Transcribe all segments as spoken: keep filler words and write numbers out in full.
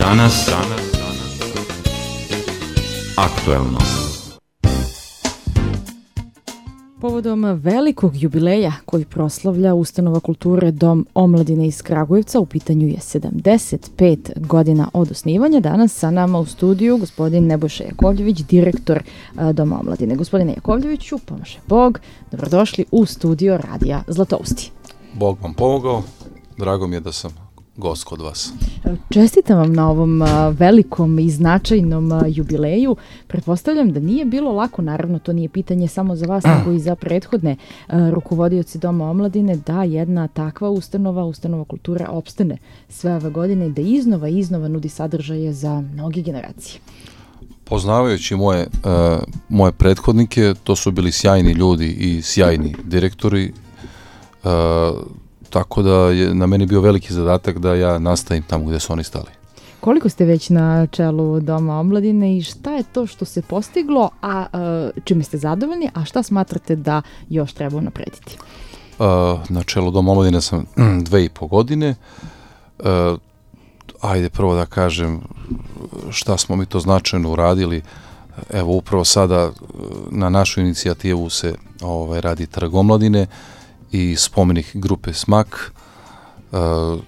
Danas, danas, aktuelno. Povodom velikog jubileja koji proslavlja Ustanova kulture Dom omladine iz Kragujevca, u pitanju je sedamdeset pet godina od osnivanja. Danas sa nama u studiju gospodin Nebojša Jakovljević, direktor Doma omladine. Gospodine Jakovljeviću, pomaže Bog, dobrodošli u studio Radija Zlatousti. Bog vam pomogao, drago mi je da sam gost kod vas. Čestitam vam na ovom velikom i značajnom jubileju. Pretpostavljam da nije bilo lako, naravno to nije pitanje samo za vas, nego i za prethodne rukovodioci Doma omladine, da jedna takva ustanova, ustanova kulture opstane sve ove godine, da iznova i iznova nudi sadržaje za mnoge generacije. Poznavajući moje, uh, moje prethodnike, to su bili sjajni ljudi i sjajni direktori, uh, tako da je na meni bio veliki zadatak da ja nastavim tamo gde su oni stali. Koliko ste već na čelu Doma omladine i šta je to što se postiglo, a uh, čime ste zadovoljni, a šta smatrate da još treba unaprediti? Uh, na čelu Doma omladine sam dve i po godine. Uh, ajde prvo da kažem šta smo mi to značajno uradili. Evo upravo sada na našu inicijativu se ovaj, radi Trg omladine i spomenik grupe Smak. Uh, uh,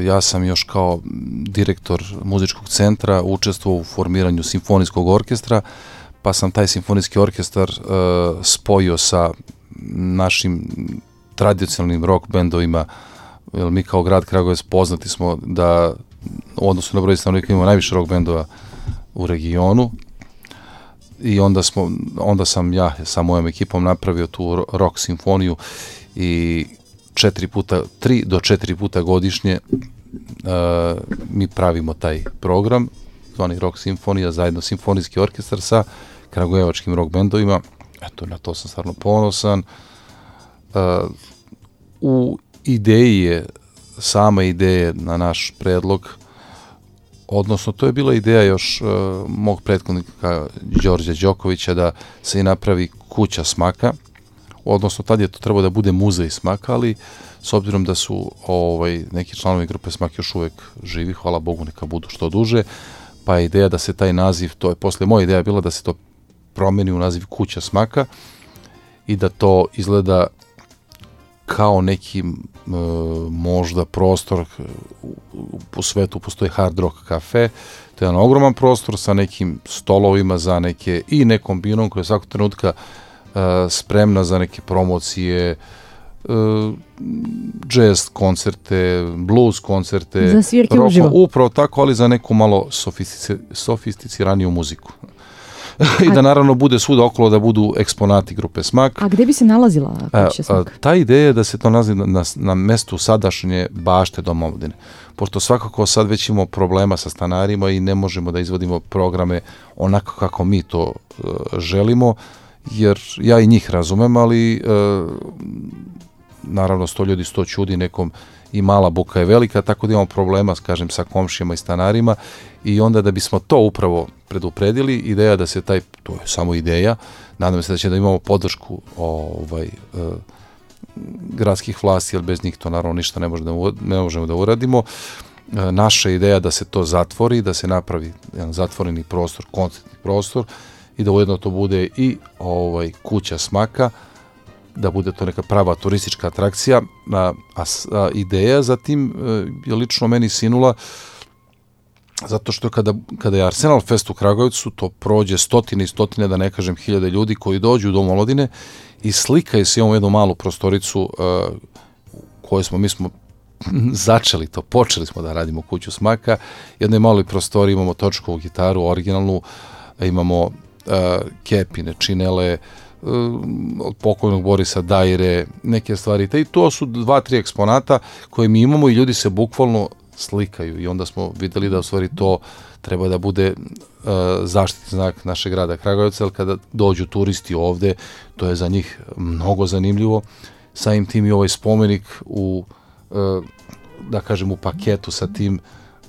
ja sam još kao direktor muzičkog centra učestvovao u formiranju simfonijskog orkestra, pa sam taj simfonijski orkestar uh, spojio sa našim tradicionalnim rock bendovima, jer mi kao grad Kragujevac poznati smo da u odnosu na broj stanovnika imamo najviše rock bendova u regionu. I onda, smo, onda sam ja sa mojom ekipom napravio tu rock simfoniju i četiri puta, tri do četiri puta godišnje uh, mi pravimo taj program, zvani rock simfonija, zajedno simfonijski orkestar sa kragujevačkim rock bendovima. Eto, na to sam stvarno ponosan. Uh, u ideji je, sama ideja na naš predlog, odnosno to je bila ideja još uh, mog prethodnika Đorđa Đokovića da se i napravi kuća smaka, odnosno tad je to trebalo da bude muzej smaka, ali s obzirom da su ovaj, neki članovi grupe Smak još uvek živi, hvala Bogu neka budu što duže, pa je ideja da se taj naziv, to je posle moja ideja bila da se to promeni u naziv kuća smaka i da to izgleda kao neki e, možda prostor, u svetu postoji Hard Rock Cafe, to je jedan ogroman prostor sa nekim stolovima za neke i nekom binom koja je svakog trenutka e, spremna za neke promocije, e, jazz koncerte, blues koncerte, za svirke uživo. Upravo tako, ali za neku malo sofistici, sofisticiraniju muziku. I da naravno bude svuda okolo da budu eksponati grupe Smak. A gde bi se nalazila kuća Smak? A, a, ta ideja je da se to nalazi na, na, na mestu sadašnje bašte Doma omladine. Pošto svakako sad već imamo problema sa stanarima i ne možemo da izvodimo programe onako kako mi to uh, želimo, jer ja i njih razumem, ali uh, naravno sto ljudi, sto čudi, nekom i mala buka je velika, tako da imamo problema, kažem, sa komšijama i stanarima i onda da bismo to upravo predupredili, ideja da se taj, to je samo ideja, nadam se da će da imamo podršku ovaj, eh, gradskih vlasti, jer bez njih to naravno ništa ne, može da, ne možemo da uradimo. Eh, naša ideja da se to zatvori, da se napravi jedan zatvoreni prostor, koncertni prostor i da ujedno to bude i ovaj, kuća Smaka, da bude to neka prava turistička atrakcija, a, a, a ideja za tim je lično meni sinula zato što kada, kada je Arsenal Fest u Kragujevcu, to prođe stotine i stotine, da ne kažem hiljade ljudi koji dođu u Dom omladine i slikaju se, imamo jednu malu prostoricu uh, koju smo, mi smo začeli to, počeli smo da radimo kuću Smaka, jednoj maloj prostoriji imamo točkovu gitaru, originalnu, imamo uh, kepine, činele, od pokojnog Borisa Dajre, neke stvari. I to su dva, tri eksponata koje mi imamo i ljudi se bukvalno slikaju i onda smo videli da u stvari to treba da bude uh, zaštitni znak našeg grada Kragujevca, jer kada dođu turisti ovde, to je za njih mnogo zanimljivo. Samim tim i ovaj spomenik u, uh, da kažem, u paketu sa tim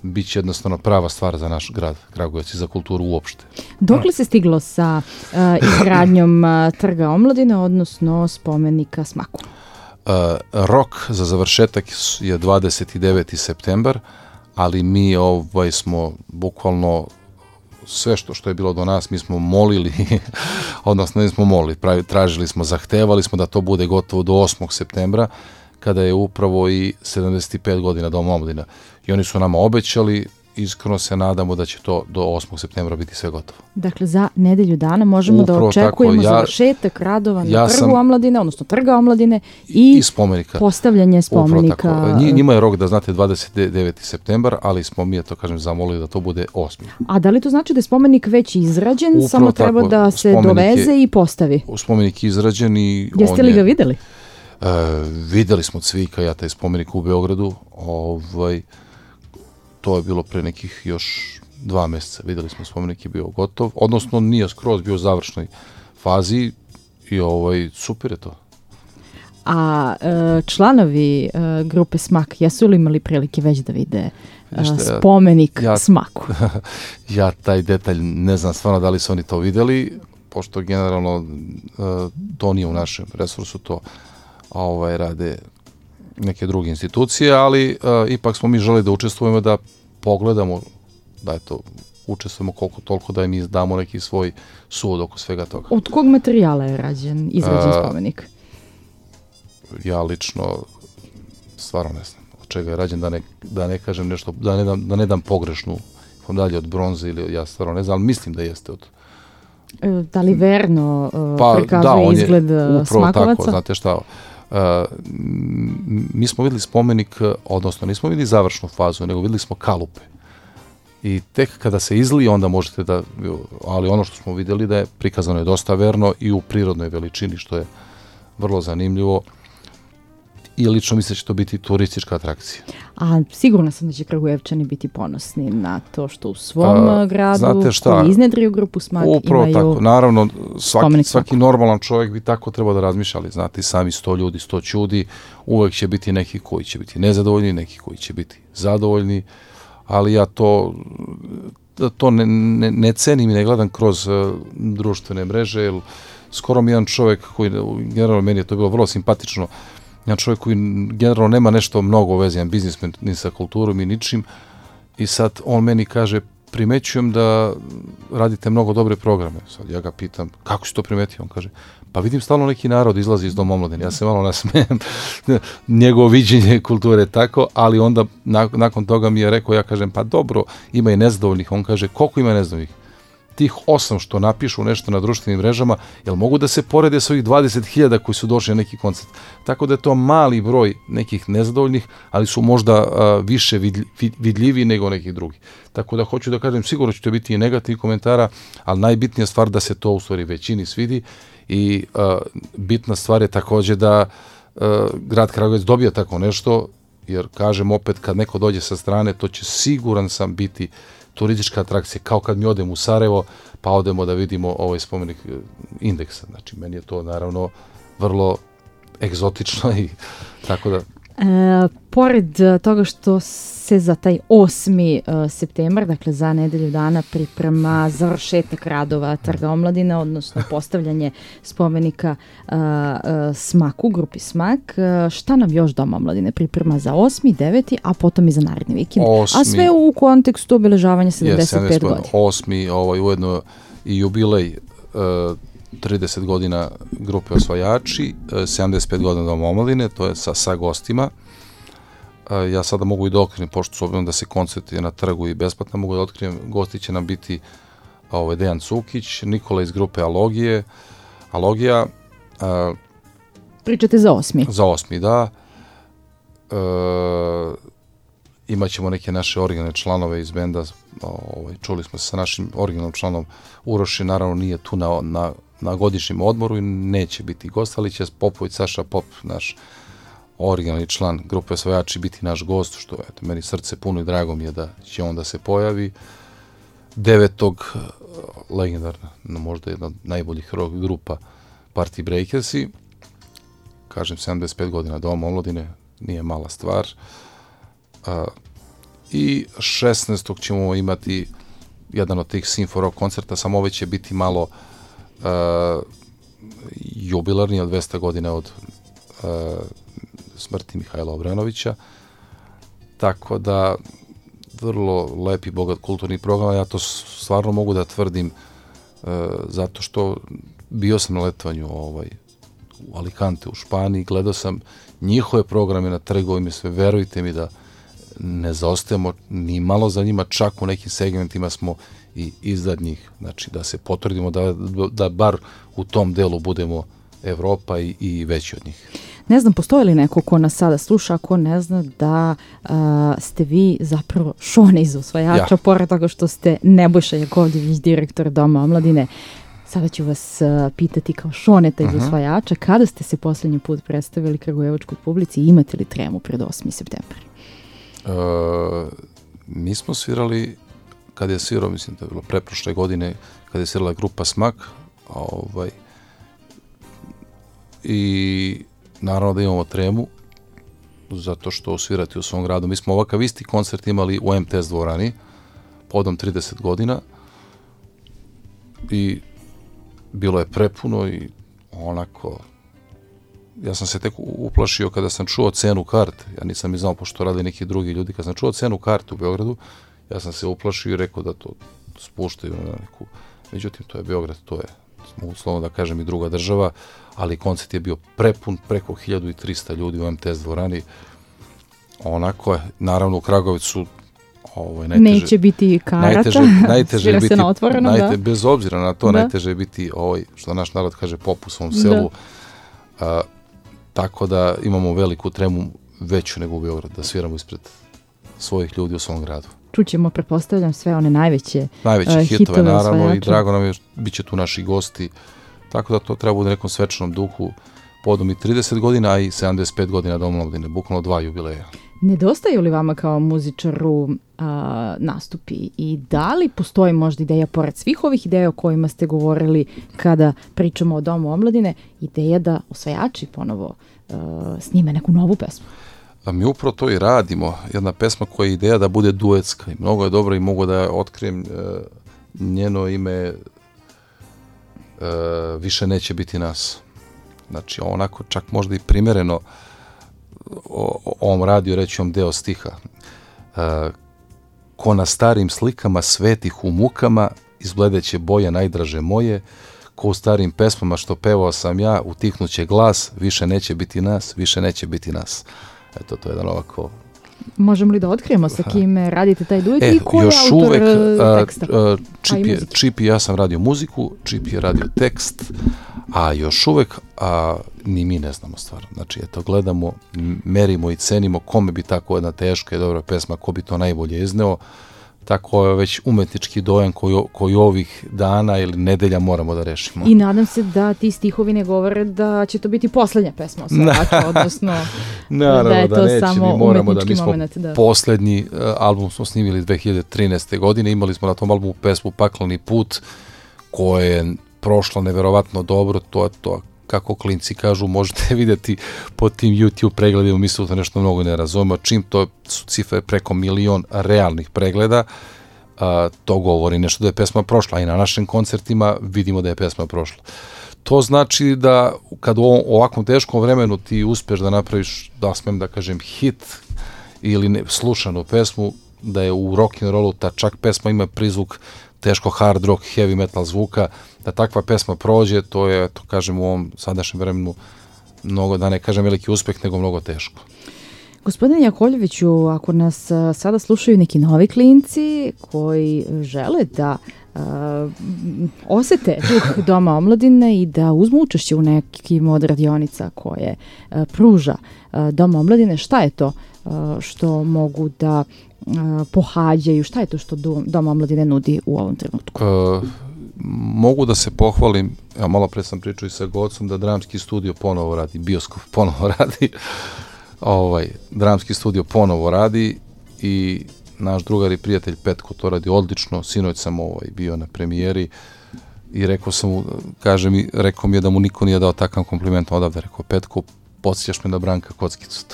bit će jednostavno prava stvar za naš grad Kragujevac i za kulturu uopšte. Dokle se stiglo sa uh, izgradnjom uh, Trga omladine, odnosno spomenika Smaku? Uh, rok za završetak je dvadeset deveti septembar, ali mi ovaj, smo bukvalno sve što, što je bilo do nas, mi smo molili, odnosno ne smo molili, pravi, tražili smo, zahtevali smo da to bude gotovo do osmog septembra, kada je upravo i sedamdeset pet godina Dom omladine. I oni su nama obećali, iskreno se nadamo da će to do osmog septembra biti sve gotovo. Dakle, za nedelju dana možemo upravo da očekujemo ja, završetak radova na ja trgu sam, omladine, odnosno trga omladine i, i spomenika. Postavljanje spomenika. Njima je rok da znate dvadeset deveti septembar, ali smo mi, to kažem, zamolili da to bude osmi. A da li to znači da je spomenik već izrađen, upravo samo treba tako, da se doveze je, i postavi? Spomenik je izrađen i... Jeste li ga videli? Uh, videli smo Cvika, ja taj spomenik u Beogradu, ovaj... To je bilo pre nekih još dva mjeseca. Videli smo, spomenik je bio gotov, odnosno nije skroz bio u završnoj fazi i ovaj, super je to. A članovi grupe Smak, jesu li imali prilike već da vide spomenik ja, Smaku? Ja taj detalj ne znam stvarno da li su oni to videli, pošto generalno to nije u našem resursu, to ovaj, rade neke druge institucije, ali uh, ipak smo mi želi da učestvujemo, da pogledamo, da je to, učestvujemo koliko toliko, da im damo neki svoj sud oko svega toga. Od kog materijala je rađen, izrađen uh, spomenik? Ja lično stvarno ne znam od čega je rađen, da ne, da ne kažem nešto, da ne dam, da ne dam pogrešnu dalje od bronze ili ja stvarno ne znam, ali mislim da jeste od... Da li verno uh, pa, prikazuje da, izgled Smakovaca? Tako, znate šta... Uh, mi smo videli spomenik, odnosno nismo videli završnu fazu, nego videli smo kalupe. I tek kada se izlije, onda možete da, ali ono što smo videli da je prikazano je dosta verno i u prirodnoj veličini, što je vrlo zanimljivo. I lično mislim da će to biti turistička atrakcija. A sigurno sam da će Kragujevčani biti ponosni na to što u svom A, gradu, koji iznedriju grupu Smak, upravo imaju tako. Naravno, svaki, svaki normalan čovjek bi tako trebao da razmišlja, ali znate, sami sto ljudi, sto čudi, uvek će biti neki koji će biti nezadovoljni, neki koji će biti zadovoljni, ali ja to, to ne, ne, ne cenim i ne gledam kroz uh, društvene mreže, jer skoro mi jedan čovjek koji, generalno meni je to bilo vrlo simpatično, jedan čovjek koji generalno nema nešto mnogo vezijan biznismen ni sa kulturom i ničim i sad on meni kaže, primećujem da radite mnogo dobre programe. Sad ja ga pitam, kako si to primetio? On kaže, pa vidim stalno neki narod izlazi iz Doma omladine. Ja se malo nasmijem, njegovo viđenje kulture tako, ali onda nakon toga mi je rekao, ja kažem, pa dobro, ima i nezadovoljnih. On kaže, koliko ima nezadovoljnih? Tih osam što napišu nešto na društvenim mrežama, jel mogu da se porede s ovih dvadeset hiljada koji su došli na neki koncert? Tako da je to mali broj nekih nezadovoljnih, ali su možda uh, više vidlj, vidljivi nego nekih drugih. Tako da hoću da kažem, sigurno će to biti i negativnih komentara, ali najbitnija stvar da se to u stvari većini svidi i uh, bitna stvar je također da uh, grad Kragujevac dobija tako nešto, jer kažem opet, kad neko dođe sa strane, to će siguran sam biti turistička atrakcija, kao kad mi odemo u Sarajevo, pa odemo da vidimo ovaj spomenik Indeksa. Znači, meni je to naravno vrlo egzotično i tako da... E, pored toga što se za taj osmi septembar, dakle za nedelju dana, priprema završetak radova Trga omladine, odnosno postavljanje spomenika uh, uh, Smaku, grupi Smak, uh, šta nam još Dom omladine priprema za osmi, deveti, a potom i za naredni vikend? Osmi, a sve u kontekstu obeležavanja sedamdeset pet godina. Osmi, ovaj, ujedno i jubilej uh, trideset godina grupe Osvajači, sedamdeset pet godina Dom omladine, to je sa, sa gostima. Ja sada mogu i da otkrijem, pošto su obzirom da se koncerti na trgu i besplatno, mogu da otkrijem, gosti će nam biti ovaj, Dejan Cukić, Nikola iz grupe Alogije, Alogija. Uh, Pričate za osmi? Za osmi, da. Uh, imaćemo neke naše originalne članove iz benda, ovaj, čuli smo se sa našim originalnom članom Uroši, naravno nije tu na, na, na godišnjem odmoru i neće biti gost, ali će Popović, Saša Pop, naš originalni član grupe Osvajači, biti naš gost, što eto, meni srce puno i drago mi je da će on da se pojavi. Devetog legendarna, no, možda jedna od najboljih rock grupa Party Breakersi, kažem sedamdeset pet godina Doma omladine, nije mala stvar. A, i šesnaestog ćemo imati jedan od tih Simfo Rock koncerta, samo ovaj će biti malo a, jubilarni, od dvesta godina od a, smrti Mihajla Obrenovića, tako da vrlo lep i bogat kulturni program, ja to stvarno mogu da tvrdim uh, zato što bio sam na letovanju ovaj, u Alicante u Španiji, gledao sam njihove programe na trgovima, sve, verujte mi da ne zaostajemo ni malo za njima, čak u nekim segmentima smo i iznad njih, znači da se potvrdimo da, da bar u tom delu budemo Evropa i, i veći od njih. Ne znam, postoji li neko ko nas sada sluša, ko ne zna da uh, ste vi zapravo Šone iz Usvajača, ja. Pored toga što ste Nebojša Jakovljević, direktor Doma omladine. Sada ću vas uh, pitati kao Šoneta iz uh-huh. Usvajača, kada ste se posljednji put predstavili kragujevačkoj publici i imate li tremu pred osmi septembar? Uh, mi smo svirali, kada je svirao, mislim da je bilo preprošle godine, kada je svirala grupa Smak, ovaj, i naravno da imamo tremu, zato što svirati u svom gradu. Mi smo ovakav isti koncert imali u M T S dvorani, podom trideset godina, i bilo je prepuno i onako, ja sam se tek uplašio kada sam čuo cenu karte, ja nisam ni znao pošto rade neki drugi ljudi, kada sam čuo cenu karte u Beogradu, ja sam se uplašio i rekao da to spuštaju na neku, međutim to je Beograd, to je, mogu slovno da kažem, i druga država, ali koncert je bio prepun, preko hiljadu trista ljudi u M T S dvorani, onako je, naravno u Kragujevcu ovaj, najteže, neće biti karata, najteže, najteže svira biti, se na otvoreno, najte, najte, bez obzira na to, da. najteže je biti, ovaj, što naš narod kaže, pop u svom selu, a, tako da imamo veliku tremu, veću nego u Beogradu, da sviramo ispred svojih ljudi u svom gradu. Čućemo, pretpostavljam, sve one najveće, najveće uh, hitove, hitove naravno, osvajača. I drago nam je, bit će tu naši gosti, tako da to treba u nekom svečanom duhu, podom i trideset godina, a i sedamdeset pet godina Doma omladine, bukvalno dva jubileja. Nedostaju li vama kao muzičaru a, nastupi i da li postoji možda ideja, pored svih ovih ideja o kojima ste govorili kada pričamo o Domu omladine, ideja da osvajači ponovo a, snime neku novu pesmu? A mi upravo to i radimo. Jedna pesma koja je ideja da bude duetska i mnogo je dobro i mogu da otkrijem e, njeno ime e, Više neće biti nas. Znači onako čak možda i primjereno o, o ovom radiju reći vam deo stiha. E, ko na starim slikama svetih u mukama izbledeće boje najdraže moje, ko u starim pesmama što pevao sam ja, utihnuće glas, više neće biti nas, više neće biti nas. Eto, to je jedan ovako... Možemo li da otkrijemo sa kime radite taj duet e, i ko je još autor uvek, teksta? A, a, Čip, je, Čip i ja sam radio muziku, Čip je radio tekst, a još uvek a, ni mi ne znamo stvarno. Znači, eto, gledamo, merimo i cenimo kome bi tako jedna teška i dobra pesma, ko bi to najbolje izneo. Tako je već umetnički dojam koji, koji ovih dana ili nedelja moramo da rešimo. I nadam se da ti stihovi ne govore da će to biti poslednja pesma osvajača, odnosno naravno, da je to da neće, samo moramo umetnički da, mi smo moment. Da. Poslednji uh, album smo snimili dve hiljade trinaeste. godine, imali smo na tom albumu pesmu Pakleni put, koja je prošla neverovatno dobro, to je to, kako klinci kažu, možete vidjeti po tim YouTube pregledima, mi se to nešto mnogo ne razumemo, čim to su cifre preko milion realnih pregleda, a, to govori nešto da je pesma prošla, i na našim koncertima vidimo da je pesma prošla. To znači da kad u ovakvom teškom vremenu ti uspeš da napraviš, da smem da kažem, hit ili ne, slušanu pesmu, da je u rock'n'rollu ta čak pesma ima prizvuk teško hard rock, heavy metal zvuka, da takva pesma prođe, to je, to kažem, u ovom sadašnjem vremenu mnogo, da ne kažem veliki uspeh, nego mnogo teško. Gospodine Jakovljeviću, ako nas a, sada slušaju neki novi klinci koji žele da a, osete duh Doma omladine i da uzmu učešće u nekim od radionica koje a, pruža a, Dom omladine, šta je to a, što mogu da a, pohađaju, šta je to što Dom omladine nudi u ovom trenutku? Uh, mogu da se pohvalim, ja malo pre sam pričao i sa Gocom, da dramski studio ponovo radi, bioskop ponovo radi, ovaj, dramski studio ponovo radi i naš drugar i prijatelj Petko to radi odlično. Sinoć sam ovaj, bio na premijeri i rekao sam mu, kaže mi, rekao mi je da mu niko nije dao takav kompliment odavde, rekao Petko, podsjećaš me na Branka Kockicu.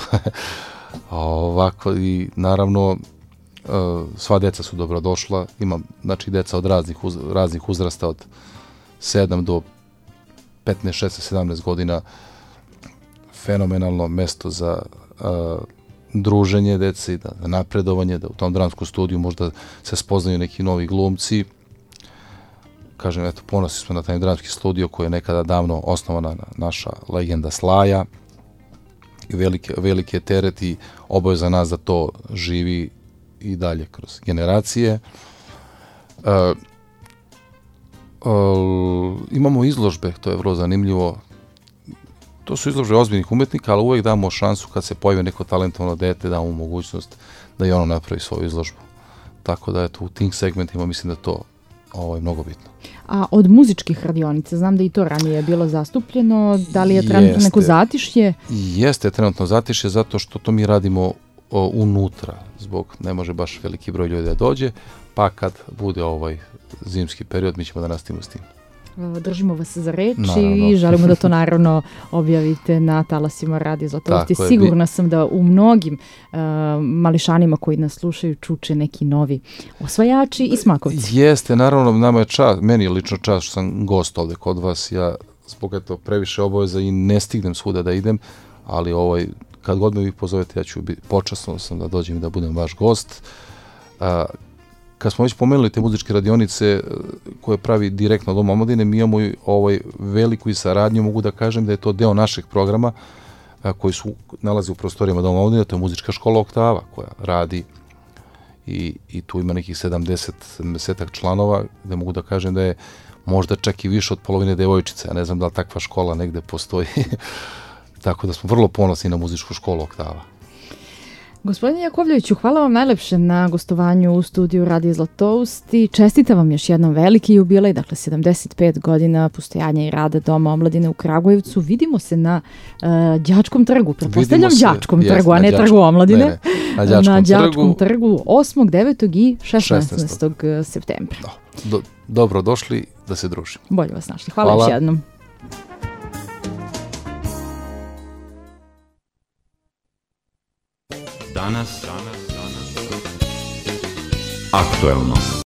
Ovako i naravno sva deca su dobrodošla, imam znači deca od raznih, uz, raznih uzrasta od sedam do petnaest, šesnaest, sedamnaest godina, fenomenalno mesto za uh, druženje dece, da, da napredovanje, da u tom dramskom studiju možda se spoznaju neki novi glumci. Kažem, eto, ponosni smo na taj dramski studio koji je nekada davno osnovana naša legenda Slaja i velike, velike teret i obaveza za nas da to živi i dalje kroz generacije. Uh, uh, imamo izložbe, to je vrlo zanimljivo. To su izložbe ozbiljnih umetnika, ali uvek damo šansu kad se pojavi neko talentovno dete, damo mogućnost da i ono napravi svoju izložbu. Tako da, eto, u tim segmentima mislim da to ovo je mnogo bitno. A od muzičkih radionica, znam da i to ranije je bilo zastupljeno, da li je trenutno jeste, neko zatišje? Jeste trenutno zatišje zato što to mi radimo o, unutra, zbog ne može baš veliki broj ljudi da dođe, pa kad bude ovaj zimski period mi ćemo da nastavimo s tim. Držimo vas za reč i želimo da to naravno objavite na talasima Radio Zlatovosti. Sigurna sam da u mnogim uh, mališanima koji nas slušaju čuče neki novi osvajači i smakovci. Jeste, naravno, nama je čast, meni je lično čast što sam gost ovde kod vas. Ja zbog eto previše obaveza i ne stignem svuda da idem, ali ovaj, kad god me vi pozovete, ja ću biti počasno sam da dođem i da budem vaš gost. Uh, Kad smo već pomenuli te muzičke radionice koje pravi direktno Dom omladine, mi imamo ovaj veliku i saradnju, mogu da kažem da je to deo našeg programa a, koji su nalazi u prostorijama Doma omladine, to je muzička škola Oktava koja radi i, i tu ima nekih sedamdeset, sedamdeset članova, gde mogu da kažem da je možda čak i više od polovine devojčice, ja ne znam da li takva škola negde postoji, tako da smo vrlo ponosni na muzičku školu Oktava. Gospodine Jakovljeviću, hvala vam najlepše na gostovanju u studiju Radio Zlatovosti. Čestitam vam još jednom veliki jubilej, dakle sedamdeset pet godina postojanja i rada Doma omladine u Kragujevcu. Vidimo se na uh, Đačkom trgu, pretpostavljam Đačkom trgu, jest, a ne trgu omladine. Ne, ne, na Đačkom, na Đačkom trgu. trgu osmog, devetog i šesnaestog septembra. Do, do, dobro došli da se družimo. Bolje vas našli. Hvala, hvala još jednom. Danas, danas, danas, aktuelno.